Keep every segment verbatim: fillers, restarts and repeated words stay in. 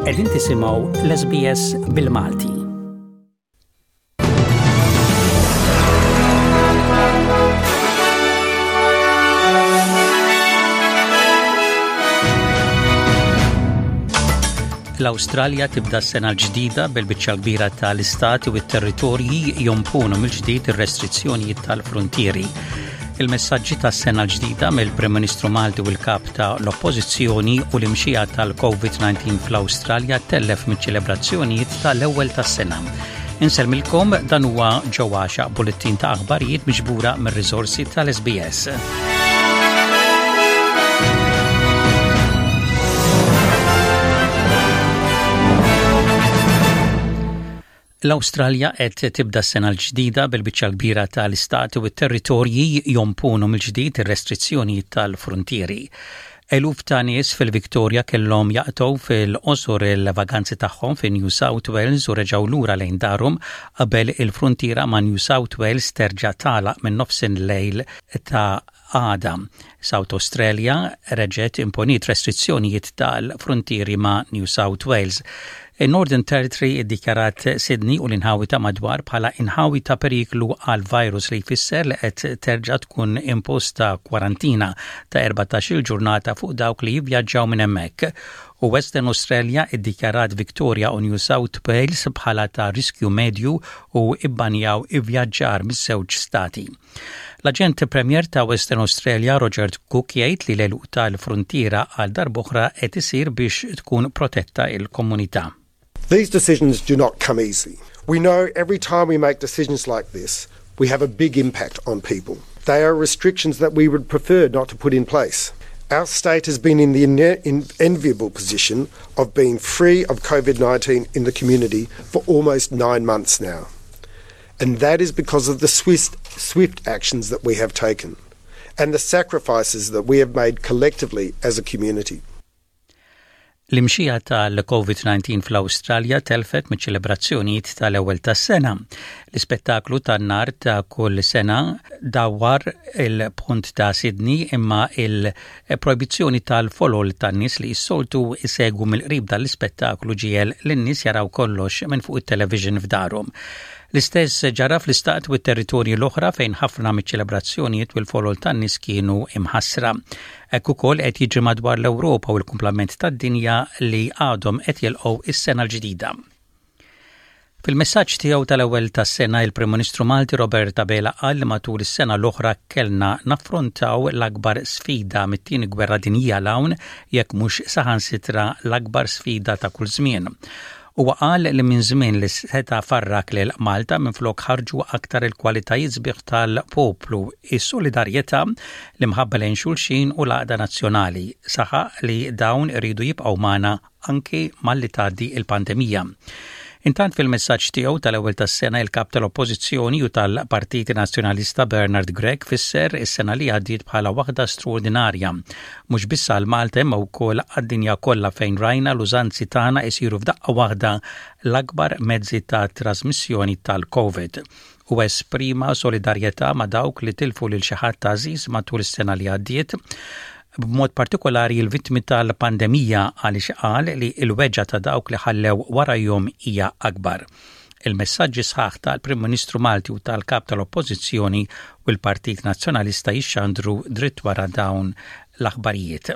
Qegħdin tisimgħu l-S B S bil-Malti. L-Awstralja tibda s-sena l-ġdida bil-biċċa kbira tal-istati u t-territorji jomponu mill-ġdid ir-restrizzjonijiet tal-frontieri. Il-messaġġi tas-sena l-ġdida mill-Prim Ministru Malti u l-kap ta' l-Oppożizzjoni u l-imxija tal-COVID nineteen fl-Awstralja tellef miċ-ċelebrazzjonijiet tal-ewwel tas-sena. Insellmilkom, dan huwa ġewwaxa bullettin ta' aħbarijiet miġbura mir-riżorsi tal-S B S. L-Awstralja qed tibda s-sena l-ġdida bil-biċċa kbira tal-istati u t-territorji jomponu mill-ġdid ir-restrizzjoni tal-frontieri. Eluf ta' nies fil-Victoria kellhom jaqtgħu fil-qosor il-vaganzi tagħhom fi New South Wales u reġgħu lura lejn darhom qabel il-frontiera ma' New South Wales terġa' tagħlaq minn nofsinlejl ta' għada. South Australia reġgħet imponiet restrizzjonijiet tal-frontieri ma' New South Wales. Il-Northern Territory iddikjarat Sydney u l-inħawi ta' madwar bħala inħawi ta' periklu għal virus, li jfisser li qed terġa' tkun imposta kwarantina ta' erbatax-il ġurnata fuq dawk li jivvjaġġaw minn hemmhekk. U Western Australia iddikjarat Victoria u New South Wales bħala ta' riskju medju u ibbanjaw ivvjaġġar miż-żewġ stati. L-aġent Premier ta' Western Australia Roger Cook jgħid li l-għeluq tal-frontiera għal darb'oħra qed isir biex tkun protetta il-komunità. These decisions do not come easy. We know every time we make decisions like this, we have a big impact on people. They are restrictions that we would prefer not to put in place. Our state has been in the enviable position of being free of COVID nineteen in the community for almost nine months now. And that is because of the swift, swift actions that we have taken and the sacrifices that we have made collectively as a community. L-imxija tal-COVID nineteen fl-Awstralja telfet miċ-ċelebrazzjonijiet tal-ewwel tas-sena. L-ispettaklu tan-nar ta' kull sena dawwar il-pont ta' Sydney, imma il-projbizzjoni tal-folol tan-nies li s-soltu isegwu mill-qrib dal-ispettaklu ġiegħel lin-nies jaraw kollox minn fuq it-television f'darhom. L-istess ġara fl-istat u t-territorji l-oħra fejn ħafna miċ-ċelebrazzjonijiet u l-folol tan-nies kienu imħassra. Hekk ukoll qed jiġri madwar l-Ewropa u l-kumplament tad-dinja li għadhom qed jilqgħu is-sena l-ġdida. Fil-messaġġ tiegħu tal-ewwel tas-sena, il-Prim Ministru Malti Robert Abela qal li matul is-sena l-oħra kellna naffrontaw l-akbar sfida mit-tieni gwerra dinjija 'l hawn, jekk mhux saħansitra l-akbar sfida ta' kull żmien. Huwa qal li minn żmien li seta farrak lil Malta, minflok ħarġu aktar il-kwalitajiet sbieħ tal-poplu, is-solidarjetà, l-imħabba lejn xulxin u l-għaqda nazzjonali. Saħaq li dawn iridu jibqgħu magħna anki malli tgħaddi il-pandemija. Intant, fil-messaġġ tiegħu tal-ewwel tas-sena, il-kap tal-Oppożizzjoni u tal-Partit Nazzjonalista Bernard Grech fisser is-sena li għaddiet bħala waħda straordinarja. Mhux biss għal Malta imma wkoll għad-dinja kollha, fejn rajna l-użanzi tagħna isiru f'daqqa waħda l-akbar mezzi ta' trasmissjoni tal-COVID. U esprima solidarjetà ma' dawk li tilfu lil xi ħadd għażiż matul is-sena li għaddiet, b'mod partikolari l-vittmi tal-pandemija, għaliex qal li l-weġgħa ta' dawk li ħallew warajhom hija akbar. Il-messaġġi sħaħ tal-Prim Ministru Malti u tal-Kap tal-Oppożizzjoni u l-Partit Nazzjonalista jixxandru dritt wara dawn l-aħbarijiet.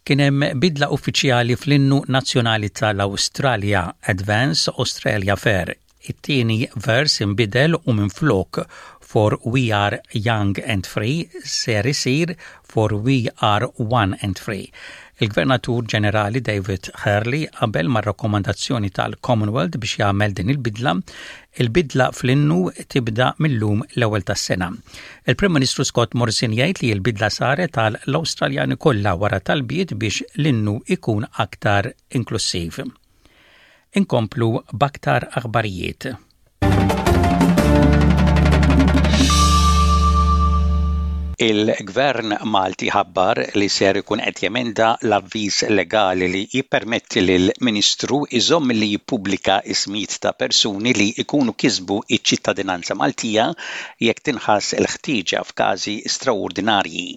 Kien hemm bidla uffiċjali fl-innu nazzjonali tal-Awstralja, Advance Australia Fair. It-tieni vers imbidel u minflok "For we are young and free" ser isir "For we are one and free". Il-Gvernatur Ġenerali David Hurley qabel ma' rakkomandazzjoni tal-Commonwealth biex jagħmel din il-bidla. Il-bidla fl-innu tibda mill-lum, l-ewwel tas-sena. Il-Prim Ministru Scott Morrison jgħid li l-bidla saret tal-Awstraljani kollha wara talbiet biex l-innu ikun aktar inklusiv. Inkomplu b'aktar aħbarijiet. Il-Gvern Malti ħabbar li ser ikun qed jemenda l-avviż legali li jippermetti lil Ministru iżomm li jippubblika ismijiet ta' persuni li jkunu kisbu iċ-ċittadinanza Maltija jekk tinħass il-ħtieġa f'każi straordinarji.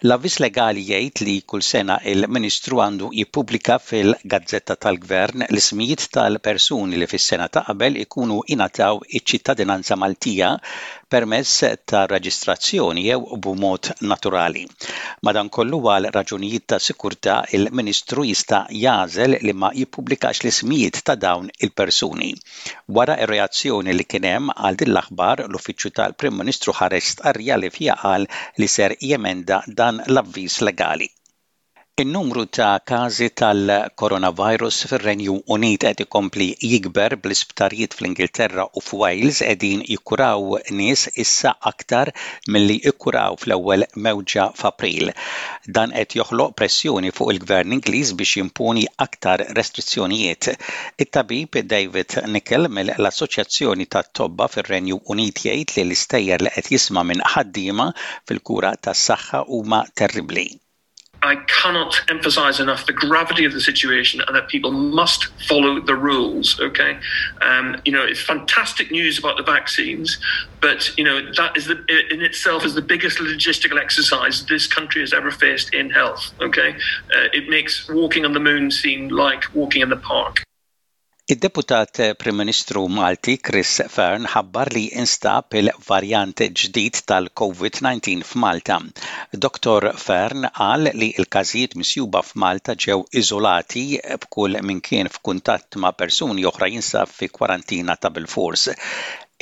L-avviż legali jgħid li kull sena il-Ministru għandu jippubblika fil-Gazzetta tal-Gvern l-ismijiet tal-persuni li fis-sena ta' qabel ikunu ingħataw iċ-ċittadinanza Maltija permezz ta' reġistrazzjoni jew b'mod naturali. Madankollu għal raġunijiet ta' sikurtà il-Ministru jista' jagħżel li ma jippubblikax l-ismijiet ta' dawn il-persuni. Wara ir-reazzjoni li kien hemm għal din l-aħbar l-Uffiċċju tal-Prim Ministru ħareġ stqarrija li fiha qal li ser jemenda dan l-avviż legali. In-numru ta' każi tal-coronavirus fir-Renju Unit qed ikompli jikber bl-isptarijiet fl-Ingilterra u f'Wales qegħdin jikkuraw nies issa aktar milli ikkuraw fl-ewwel mewġa f'April. Dan qed joħloq pressjoni fuq il-Gvern Ingliż biex jimponi aktar restrizzjonijiet. It-tabib David Nicol mill-Assoċjazzjoni tat-Tobba fir-Renju Unit jgħid li l-istejjer li qed jisma' minn ħaddiema fil-kura tas-saħħa huma terribbli. I cannot emphasize enough the gravity of the situation and that people must follow the rules. Okay, um, you know it's fantastic news about the vaccines, but you know that is the in itself is the biggest logistical exercise this country has ever faced in health. Okay, uh, it makes walking on the moon seem like walking in the park. Id-deputat Prim Ministru Malti Chris Fearne ħabbar li instab il-varjant ġdid tal-COVID nineteen f'Malta. Doctor Fearne qal li l-każijiet misjuba f'Malta ġew iżolati b'kull min kien f'kuntatt ma' persuni oħra jinsab fi kwarantina ta' bilfors.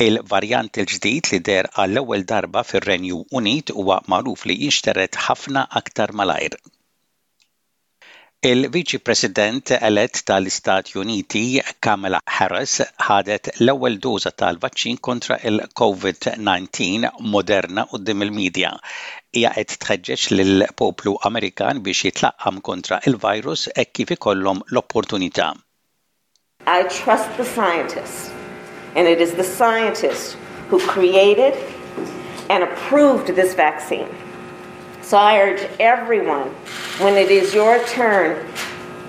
Il-varjant il-ġdid li deher għall-ewwel darba fir-Renju Unit huwa magħruf li jinxtered ħafna aktar malajr. Il-Viċi President elett tal-Istati Uniti Kamala Harris ħadet l-ewwel doża tal-vaċċin kontra il-COVID nineteen Moderna quddiem il-medja. Hija qed tħeġġeġ lill-poplu Amerikan biex jitlaqqam kontra il-virus hekk kif ikollhom l-opportunità. I trust the scientists, and it is the scientists who created and approved this vaccine. So I urge everyone, when it is your turn,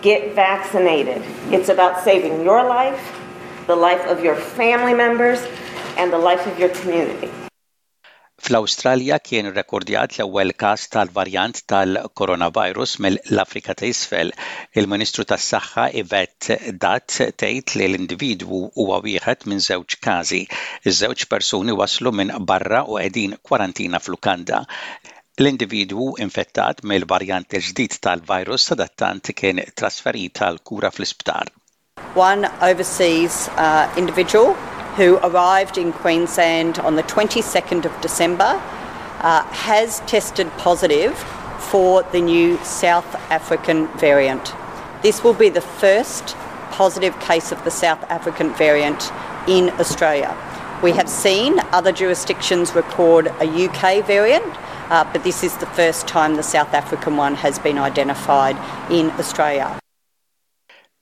get vaccinated. It's about saving your life, the life of your family members, and the life of your community. Fl-Awstralja kien rekordjat l-ewwel każ tal-varjant tal-coronavirus mill-Afrika ta' Isfel. Il-Ministru tas-Saħħa Yvette D'Ath tgħid li l-individwu huwa wieħed minn żewġ każi. Iż-żewġ persuni waslu minn barra u qegħdin kwarantina f'lukanda. L-individwu infettat mill-varjant il-ġdid tal-virus sadattant kien trasferit għal kura fl-isptar. One overseas uh, individual who arrived in Queensland on the twenty-second of December uh, has tested positive for the new South African variant. This will be the first positive case of the South African variant in Australia. We have seen other jurisdictions record a U K variant, uh, but this is the first time the South African one has been identified in Australia.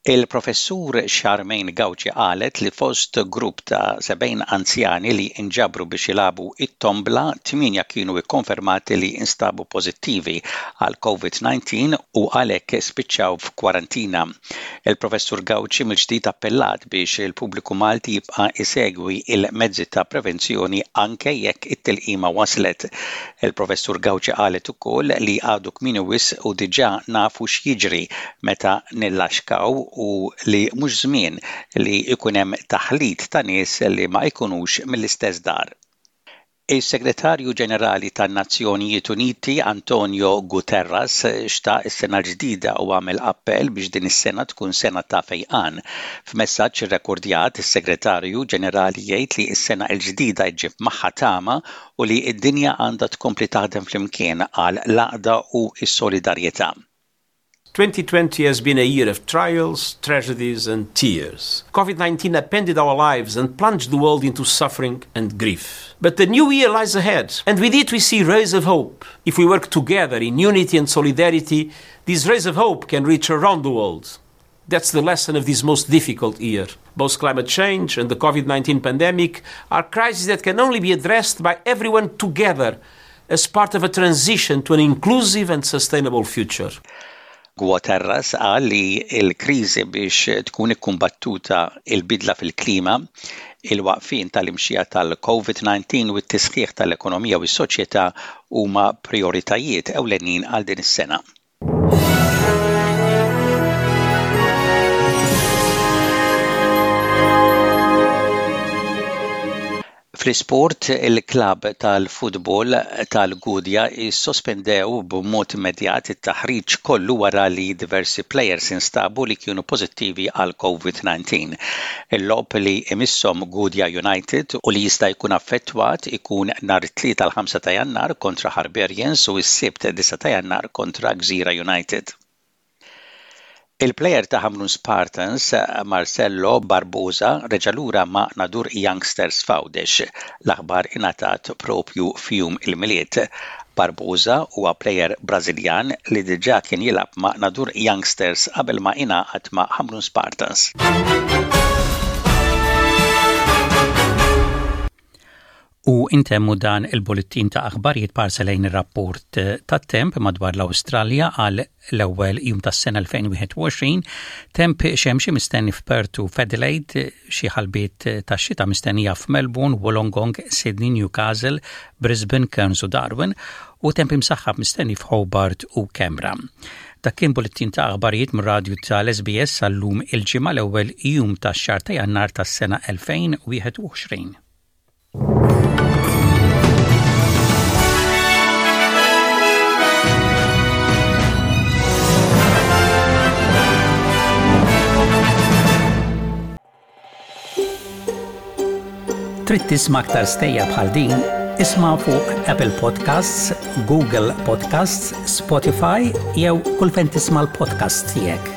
Il-professur Charmaine Gauci qalet li fost grupp ta' sebgħin anzjani li inġabru biex jilagħbu it-tombla, tmienja kienu ikkonfermati li instabu pożittivi għal COVID nineteen u għalhekk spiċċaw f'kwarantina. Il-professur Gauci mill-ġdid appellat biex il-pubbliku Malti jibqa' isegwi il-mezzi ta' prevenzjoni anke jekk it-tilqima waslet. Il-professur Gauci qalet ukoll li għadu kmieni wisq u diġà nafu x'jiġri meta nillaxkaw u li mhux żmien li jkun hemm taħlit ta' nies li ma jkunux mill-istess dar. Is-Segretarju Ġenerali tan-Nazzjonijiet Uniti Antonio Guterres xtaq is-sena ġdida u għamel appell biex din is-sena tkun sena ta' fejqan. F'messaġġ irrekordjat, is-Segretarju Ġenerali jgħid li s-sena l-ġdida ġġib magħha tama u li d-dinja għandha tkompli taħdem flimkien għal l-għaqda u s-solidarjetà. twenty twenty has been a year of trials, tragedies, and tears. COVID nineteen upended our lives and plunged the world into suffering and grief. But the new year lies ahead, and with it we see rays of hope. If we work together in unity and solidarity, these rays of hope can reach around the world. That's the lesson of this most difficult year. Both climate change and the COVID nineteen pandemic are crises that can only be addressed by everyone together as part of a transition to an inclusive and sustainable future. Guterres qal li l-kriżi biex tkun ikkumbattuta il-bidla fil-klima, Il-waqfien tal-imxija tal-COVID nineteen u t-tisħiħ tal-ekonomija u s-soċjetà huma prioritajiet ewlenin għal din is-sena. Fl-isport, il-klab tal-futbol tal-Gudja sospendew b'mod immedjat it-taħriġ kollu wara li diversi players instabu li kienu pożittivi għal COVID nineteen. Il-logħob li imisshom Gudja United u li jista' jkun affettwat ikun nhar it-Tlieta l-ħamsa ta' Jannar kontra Harbarians u s-Sibt disgħa ta' Jannar kontra Gżira United. Il-plejer ta' Ħamrun Spartans, Marcelo Barbosa, reġa' lura ma' Nadur Youngsters f'Għawdex. L-aħbar ingħatat propju f'jum il-Milied. Barbosa huwa plejer Brażiljan li diġà kien jilgħab ma' Nadur Youngsters qabel ma ingħaqad ma' Ħamrun Spartans. U intemmu dan il-bullettin ta' aħbarijiet b'ħarsa lejn ir-rapport tat-temp madwar l-Awstralja għal l-ewwel jum tas-sena elfejn u wieħed u għoxrin. Temp xemxi mistenni f'Perth u f'Adelaide, xi ħalbiet ta' xita mistennija f'Melbourne, Wollongong, Sydney, Newcastle, Brisbane, Cairns u Darwin u temp imsaħħab mistenni f'Hobart u Canberra. Dak kien bullettin ta' aħbarijiet mir-radju tal-S B S għal-lum il-Ġimgħa, l-ewwel jum tax-xahar ta' Jannar tas-sena elfejn u wieħed u għoxrin. Trid tisma' aktar stejjer bħal din? Isma' fuq Apple Podcasts, Google Podcasts, Spotify jew kull fejn tisma' l-podcast tiegħek.